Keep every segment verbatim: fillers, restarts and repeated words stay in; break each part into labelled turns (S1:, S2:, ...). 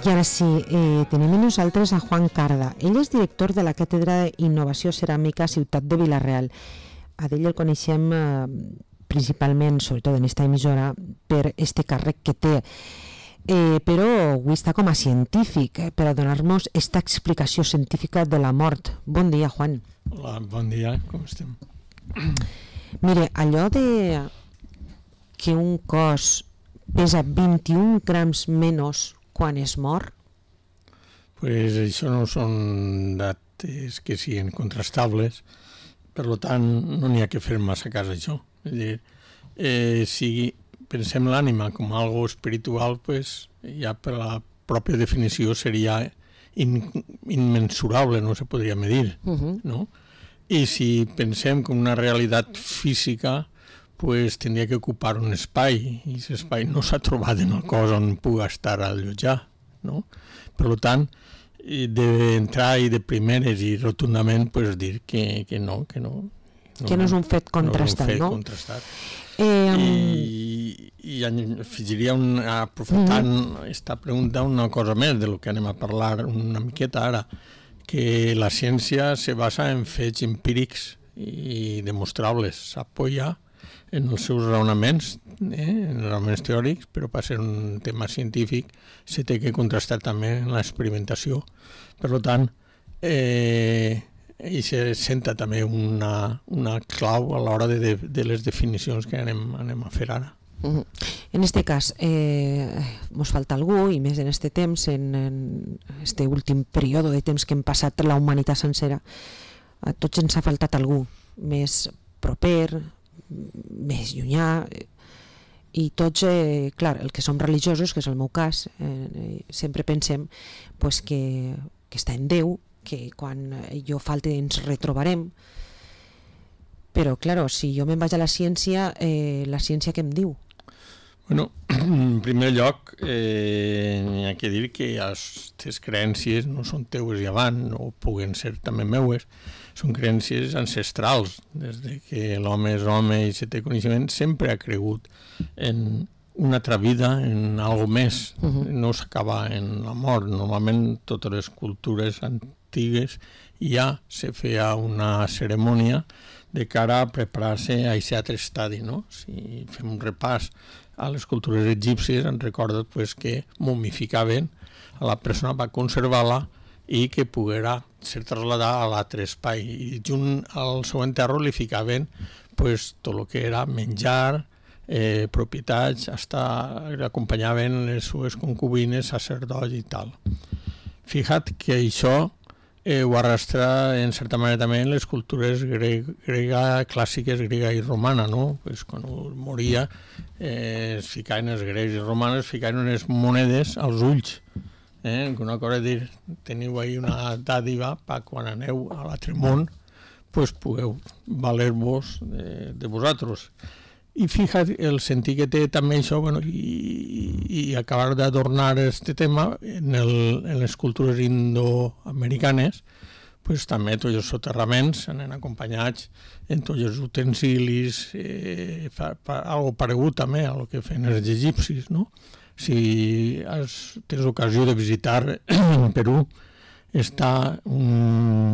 S1: I ara sí, eh, tenim amb nosaltres a Juan Carda. Ell és director de la Càtedra d'Innovació Ceràmica Ciutat de Vila-real. A ell el coneixem eh, principalment, sobretot en esta emissora, per este càrrec que té. Eh, però avui està com a científic eh, per a donar-nos esta explicació científica de la mort. Bon dia, Juan.
S2: Hola, bon dia, com estem?
S1: Mire, allò de que un cos pesa vint-i-un grams menys quan es mor?
S2: Pues això no són dates que siguin contrastables, per tant no n'hi ha que fer massa cas a això. És a dir, eh, si pensem l'ànima com algo espiritual, pues ja per la pròpia definició seria in, immensurable, no se podria medir, uh-huh. no? I si pensem com una realitat física, pues tindria que ocupar un espai, i aquest espai no s'ha trobat en el cos on puga estar allotjar, no? Per tant, d'entrar i de primeres i rotundament pues, dir que, que no, que no.
S1: No, que no és un fet contrastat, no?
S2: No és un fet no? contrastat. Eh, um... I, i afegiria, un, aprofitant mm-hmm. aquesta pregunta, una cosa més de lo que anem a parlar una miqueta ara, que la ciència se basa en fets empírics i demostrables, s'apoya en els seus raonaments, eh, en raonaments teòrics, però per ser un tema científic se té que contrastar també en l'experimentació. Per tant, eh, i se senta també una, una clau a l'hora de, de, de les definicions que anem, anem a fer ara.
S1: Uh-huh. En este cas, eh, mos falta algú, i més en este temps, en, en este últim període de temps que hem passat la humanitat sencera, a tots ens ha faltat algú més proper, més llunyà, i tots, eh, clar, el que som religiosos, que és el meu cas, eh, sempre pensem pues, que, que està en Déu, que quan jo falte ens retrobarem, però clar, si jo me'n vaig a la ciència, eh, la ciència què em diu?
S2: Bueno, en primer lloc, eh, hi ha que dir que aquestes creencies no són teues i avant, no puguen ser també meues, són creencies ancestrals. Des de que l'home és home i se té coneixement, sempre ha cregut en una altra vida, en algo més. Uh-huh. No s'acaba en la mort. Normalment, totes les cultures antigues ja se feia una cerimònia de cara a preparar-se a aquest altre estadi, no? Si fem un repàs a les cultures egípcies, ens recorda pues, que momificaven a la persona per conservar-la i que poguera ser trasladada a l'altre espai. I junt al seu enterro li ficaven pues, tot el que era menjar, eh, propietats, hasta l'acompanyaven les seves concubines, sacerdots i tal. Fija't que això eh, ho arrastra en certa manera també en les cultures grega, grega clàssiques, grega i romana, no? Pues, quan moria eh, es ficaven els grecs i romanes, es ficaven unes monedes als ulls. Eh? Una cosa és dir, teniu ahí una dàdiva per quan aneu a l'altre món, pues pugueu valer-vos de, de vosaltres. I fixa't el sentit que té també això, bueno, i, i acabar d'adornar este tema en, el, en les cultures indoamericanes, pues també tots els soterraments anen acompanyats en tots els utensilis, eh, fa, fa, algo paregut també a lo que feien els egipcis, no? Si has, tens ocasió de visitar Perú, està un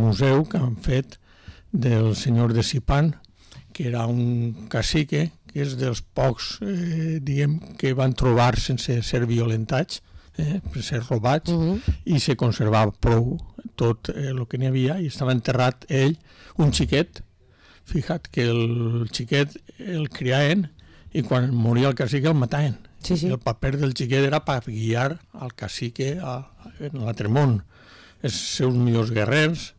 S2: museu que han fet del senyor de Zipán, que era un cacique, que és dels pocs, eh, diguem, que van trobar sense ser violentats, eh, per ser robats, uh-huh. i se conservava prou tot el eh, que n'hi havia, i estava enterrat ell, un xiquet. Fija't que el xiquet el criaven, i quan moria el cacique el mataven.
S1: Sí, sí.
S2: El paper del xiquet era per guiar al cacique a, a, en l'altre món. Els seus millors guerrers,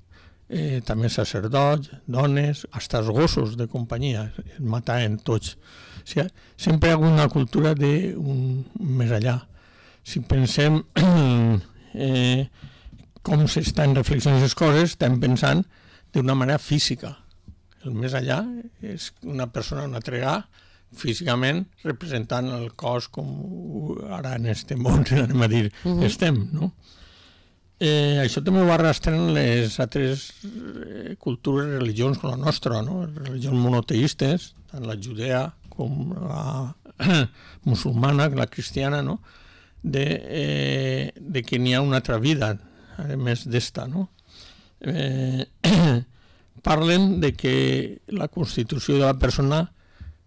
S2: Eh, també sacerdots, dones, fins els gossos de companyia, es mataven tots. O sigui, sempre hi ha una cultura d'un més allà. Si pensem eh, com s'estan reflexionant les coses, estem pensant d'una manera física. El més allà és una persona, una tregà, físicament representant el cos com ara en este món, anem a dir, uh-huh. estem, no? Eh, això també ho arrastren les altres eh, cultures, religions com la nostra, no? Religions monoteistes, tant la judea com la musulmana, la cristiana, no? de, eh, de que n'hi ha una altra vida, a més d'esta, no? Eh, parlen de que la constitució de la persona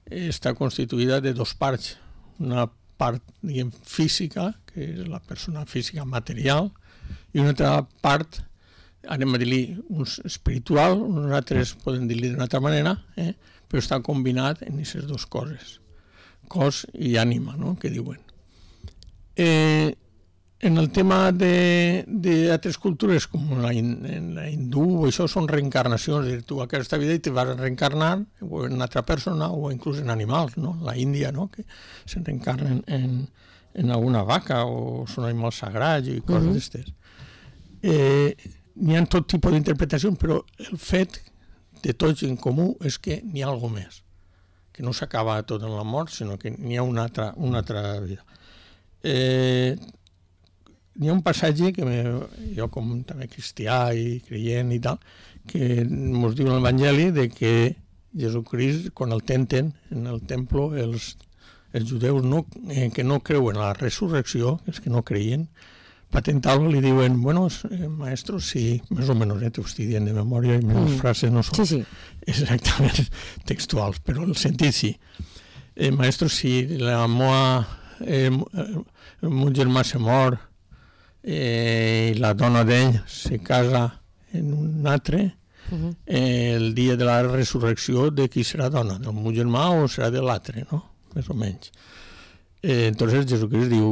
S2: està constituïda de dos parts. Una part, diguem, física, que és la persona física material, i una altra part, anem a dir-li, uns espiritual, uns altres poden dir-li d'una altra manera, eh? Però està combinat en aquestes dues coses, cos i ànima, no?, que diuen. Eh, en el tema d'altres cultures, com la, en la hindú, això són reencarnacions, és dir, tu aquesta vida i te vas a reencarnar en una altra persona o inclús en animals, no?, la Índia, no?, que se reencarnen en, en alguna vaca o són animals sagrats i coses uh-huh. d'estes. Eh, n'hi ha tot tipus d'interpretacions, però el fet de tots en comú és que n'hi ha alguna més, que no s'acaba tot en la mort, sinó que n'hi ha una altra, una altra vida. Eh, n'hi ha un passatge que me, jo com també cristià i creient i tal, que ens diu l'Evangeli de que Jesucrist, quan el tenten en el templo, els, els judeus no, eh, que no creuen en la resurrecció, els que no creien, patentar-lo li diuen, bueno, eh, maestro, sí, més o menys, eh, t'ho estic dient de memòria, i les mm. frases no són
S1: sí, sí.
S2: exactament textuals, però el sentit sí. Eh, maestro, si la moa, eh, el meu germà se mor eh, i la dona d'ell se casa en un altre, uh-huh. eh, el dia de la resurrecció de qui serà dona, del meu germà o serà de l'altre, no? Més o menys. Eh, entonces Jesucrist diu,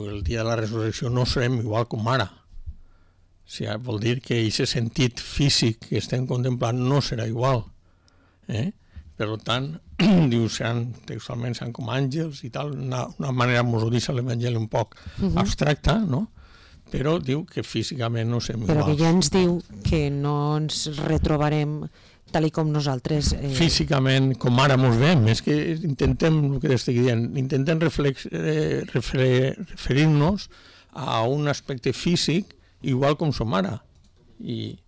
S2: el dia de la resurrecció no serem igual com ara. O sigui, vol dir que aquest sentit físic que estem contemplant no serà igual. Eh? Per tant, diu, seran, textualment seran com àngels i tal, una, una manera, mos ho diu l'Evangeli un poc uh-huh. abstracta, no? Però diu que físicament no serem iguals.
S1: Però que ja ens diu que no ens retrobarem tal i com nosaltres... Eh...
S2: Físicament, com ara mos veiem, és que intentem, el que estic dient, intentem reflex, eh, refer, referir-nos a un aspecte físic igual com som ara. I,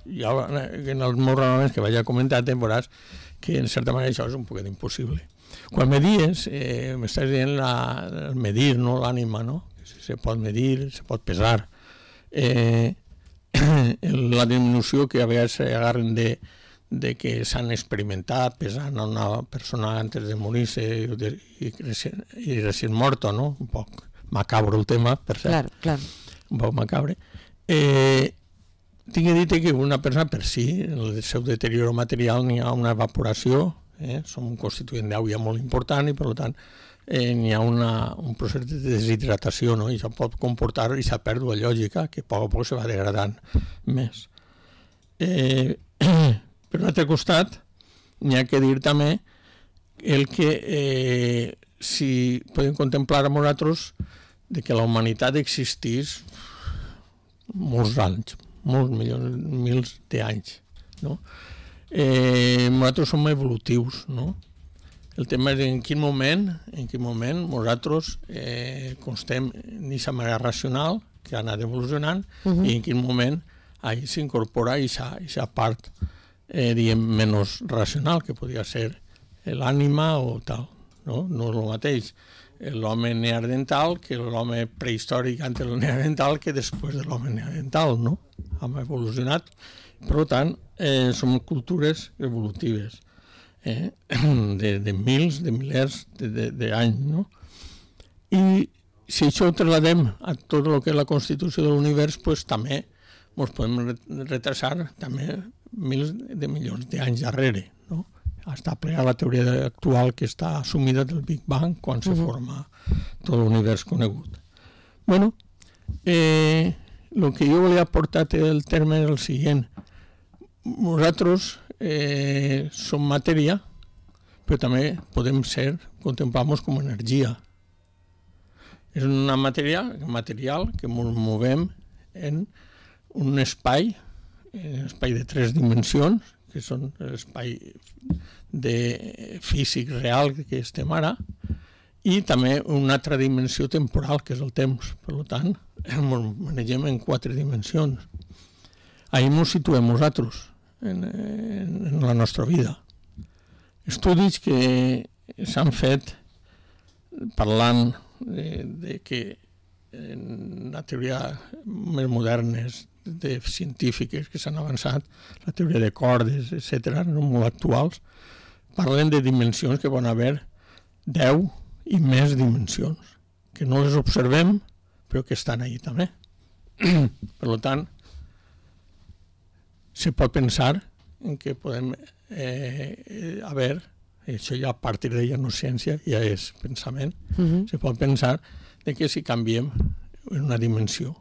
S2: i ara, en els meus raonaments que vaig a comentar, veuràs que en certa manera això és un poquet impossible. Quan me dies, eh, m'estàs dient la, el medir, no? L'ànima, no? Se pot medir, se pot pesar. Eh, la diminució que a vegades s'agarren de, de que s'han experimentat pesant a una persona antes de morir-se i, i, i recient morta, no? Un poc macabro el tema, per cert.
S1: Clar, clar.
S2: Un poc macabre. Eh, tinc dit que una persona per si, en el seu deterioro material n'hi ha una evaporació, eh? Som un constituent d'aigua molt important i per tant eh, n'hi ha una, un procés de deshidratació, no? I això pot comportar aquesta pèrdua lògica que a poc a poc se va degradant més. Eh, per l'altre costat, n'hi ha que dir també el que eh, si podem contemplar amb nosaltres de que la humanitat existís molts anys, molts milions, mils d'anys, no? Eh, nosaltres som evolutius, no? El tema és en quin moment, en quin moment nosaltres eh, constem en aquesta manera racional que ha anat evolucionant uh-huh. i en quin moment ahí s'incorpora aquesta part eh, diguem, menys racional, que podria ser l'ànima o tal. No, no és el mateix l'home neandertal que l'home prehistòric antes del neandertal que després de l'home neandertal, no? Hem evolucionat. Per tant, eh, som cultures evolutives. Eh, de, de mils, de milers d'anys, no? I si això ho trasladem a tot el que és la constitució de l'univers, pues, també ens podem retrasar també mils de milions d'anys darrere, no? Està plegada la teoria actual que està assumida del Big Bang quan se forma tot l'univers conegut. Bueno, eh, el que jo volia aportar el terme és el següent. Nosaltres eh, som matèria, però també podem ser, contemplar-nos com energia. És una matèria material que ens movem en un espai, un espai de tres dimensions, que són l'espai de físic real que estem ara, i també una altra dimensió temporal, que és el temps. Per tant, ens manegem en quatre dimensions. Ahí ens situem nosaltres, en, en la nostra vida. Estudis que s'han fet parlant de, de que en la teoria més modernes de científiques que s'han avançat, la teoria de cordes, etcètera, no molt actuals, parlen de dimensions que poden haver deu i més dimensions, que no les observem, però que estan ahí també. Per tant, se pot pensar en que podem eh, haver, això ja a partir de ja no és ciència, ja és pensament, uh-huh. se pot pensar de que si canviem en una dimensió.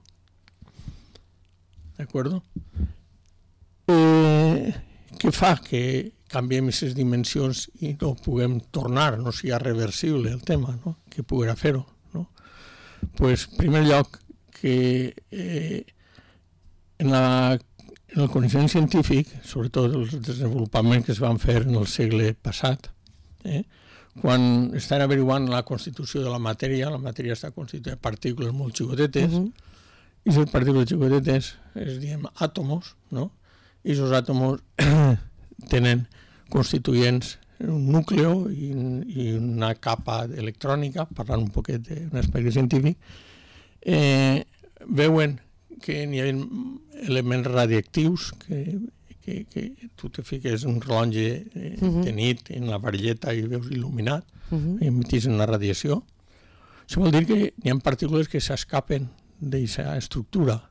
S2: D'acord? Eh, què fa que canviem aquestes dimensions i no puguem tornar, no sigui reversible el tema, no? Que poguera fer-ho, no? Pues, en primer lloc, que eh, en, la, en el coneixement científic, sobretot els desenvolupaments que es van fer en el segle passat, eh, quan estan averiguant la constitució de la matèria, la matèria està constituïda de partícules molt xicotetes, uh-huh. i les partícules xicotetes es diem àtomos, no? I aquests àtomos tenen constituents un núcleo i, i una capa electrònica, parlant un poquet d'un aspecte científic, eh, veuen que n'hi ha elements radioactius que, que, que tu te fiques un rellotge eh, uh-huh. de nit en la varilleta i veus il·luminat, uh-huh. i emetís una radiació. Això vol dir que n'hi ha partícules que s'escapen d'aquesta estructura.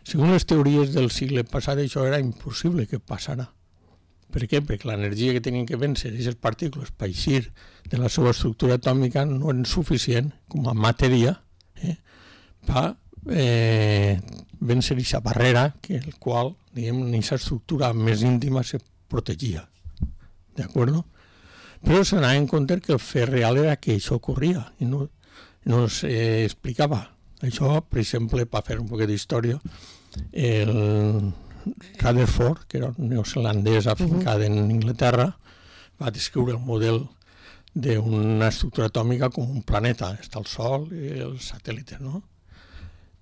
S2: Segons les teories del segle passat, això era impossible que passara. Per què? Perquè l'energia que tenien que vèncer aquestes partícules per eixir de la seva estructura atòmica no era suficient com a matèria eh, per eh, vèncer aquesta barrera que el qual, diguem, en aquesta estructura més íntima se protegia. D'acord? Però s'anava en compte que el fet real era que això ocorria i no, no s'explicava. Això, per exemple, per fer un poc d'història, el Rutherford, que era un neozelandès afincat uh-huh. en Inglaterra, va descriure el model d'una estructura atòmica com un planeta. Està el Sol i els satèl·lites, no?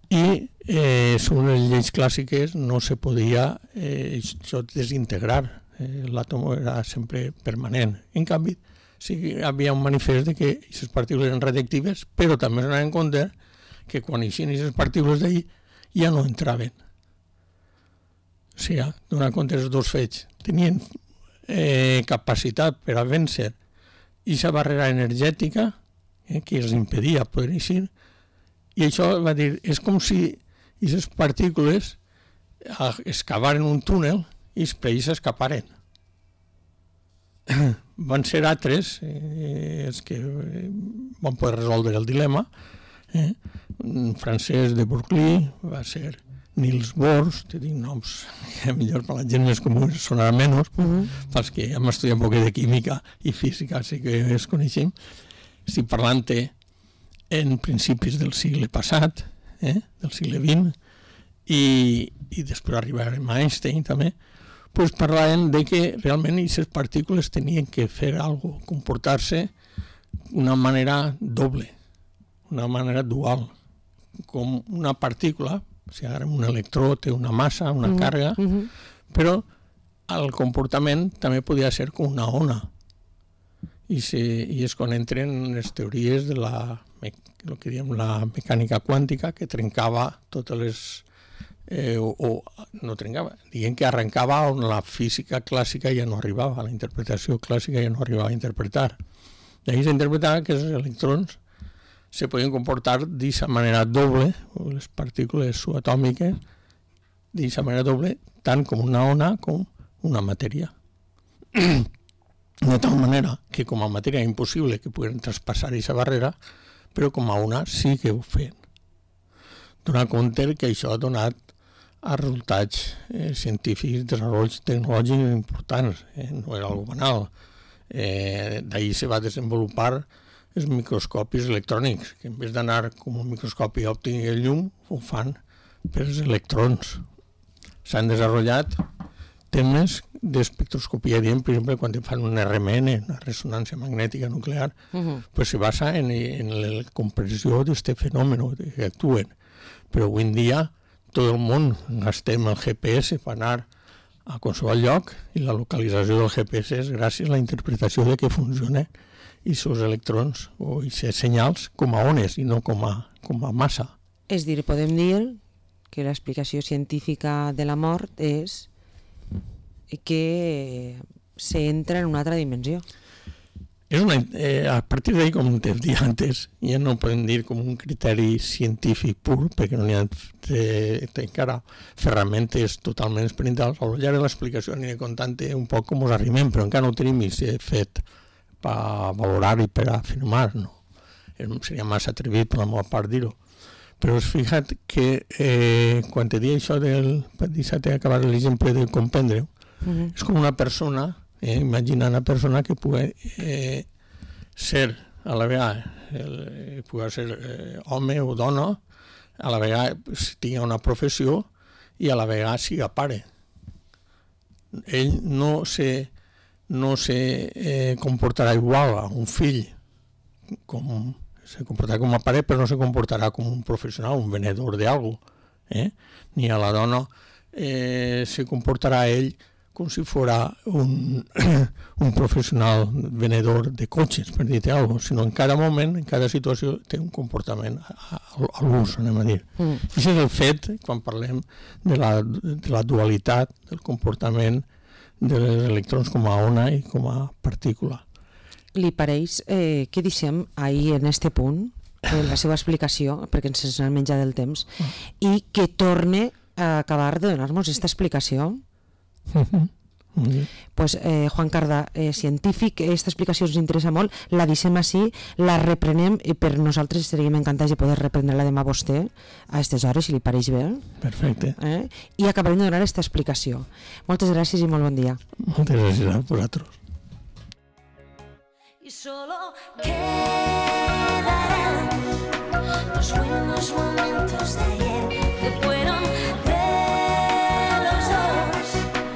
S2: I, eh, segons les lleis clàssiques, no se podia eh, això desintegrar. Eh, l'àtom era sempre permanent. En canvi, sí que hi havia un manifest de que aquestes partícules eren radioactives, però també s'anava en compte que quan eixien aquestes partícules d'ahir ja no entraven. O sigui, donant compte dels dos fets, tenien eh, capacitat per a vèncer aquesta barrera energètica eh, que els impedia poder eixir, i això va dir, és com si aquestes partícules excavaren un túnel i per ells s'escaparen. Van ser altres eh, els que van poder resoldre el dilema. Eh? Un francès de Berkeley va ser Niels Bohr, te dic noms que millor per la gent més comú sonarà menys, uh-huh. pels que hem estudiat un poc de química i física, sí que es coneixem. Estic parlant en principis del segle passat, eh? del segle vint, i, i després arribarem a Einstein també, pues parlaven de que realment aquestes partícules tenien que fer alguna cosa, comportar-se d'una manera doble, una manera dual, com una partícula, o sigui, ara un electró té una massa, una uh-huh. càrrega, uh-huh. però el comportament també podia ser com una ona. I, se, i és quan entren les teories de la, el que diem, la mecànica quàntica, que trencava totes les... Eh, o, o no trencava, diguem que arrencava on la física clàssica ja no arribava, la interpretació clàssica ja no arribava a interpretar. D'ahir s'interpretava que els electrons se podien comportar d'aquesta manera doble, o les partícules subatòmiques, d'aquesta manera doble, tant com una ona com una matèria. De tal manera que com a matèria és impossible que puguin traspassar aquesta barrera, però com a ona sí que ho feien. Donar compte que això ha donat a resultats eh, científics, desenvolups tecnològics importants, eh? no era algo banal. Eh, d'ahir se va desenvolupar els microscopis electrònics, que en vez d'anar com un microscopi òptic i el llum, ho fan per els electrons. S'han desenvolupat temes d'espectroscopia, diem, per exemple, quan fan un R M N, una ressonància magnètica nuclear, uh-huh. pues se basa en, en la compressió d'aquest fenomen que actuen. Però avui en dia tot el món gastem el G P S per anar a qualsevol lloc i la localització del G P S és gràcies a la interpretació de que funcionen aquests electrons o aquests senyals com a ones i no com a, com a massa.
S1: És dir, podem dir que l'explicació científica de la mort és que s'entra en una altra dimensió.
S2: És una, eh, a partir d'ahí, com te dit antes, ja no podem dir com un criteri científic pur, perquè no n'hi ha de, de encara ferramentes totalment experimentals. Al llarg de l'explicació aniré contant un poc com us arribem, però encara no tenim fet per valorar i per afirmar, no? Seria massa atrevit per la meva part dir-ho. Però has fixat que eh, quan te dic això del... per deixar-te acabar l'exemple de comprendre-ho, uh-huh. És com una persona... Eh, imagina una persona que pugui eh, ser a la vegada el, pugui ser eh, home o dona, a la vegada pues, tingui una professió i a la vegada siga pare. Ell no se, no se eh, comportarà igual a un fill, com, se comportarà com a pare, però no se comportarà com un professional, un venedor d'algo, eh? Ni a la dona eh, se comportarà ell com si fora un, un professional venedor de cotxes, per dir-te alguna cosa, sinó en cada moment, en cada situació, té un comportament a, a l'ús, anem a dir. Mm. Això és el fet, quan parlem de la, de la dualitat del comportament dels electrons com a ona i com a partícula.
S1: Li pareix eh, que deixem ahir en este punt eh, la seva explicació, perquè ens n'ha menjat del temps, mm. i que torne a acabar de donar-nos aquesta explicació?
S2: Uh-huh. Uh-huh.
S1: Pues eh, Juan Cardà, eh, científic, aquesta explicació ens interessa molt, la deixem així, la reprenem i per nosaltres estaríem encantats de poder reprendre-la demà a vostè a aquestes hores, si li pareix bé.
S2: Perfecte.
S1: Eh? I acabarem de donar aquesta explicació. Moltes gràcies i molt bon dia.
S2: Moltes gràcies a vosaltres.
S3: Y solo quedarán los buenos momentos de ayer.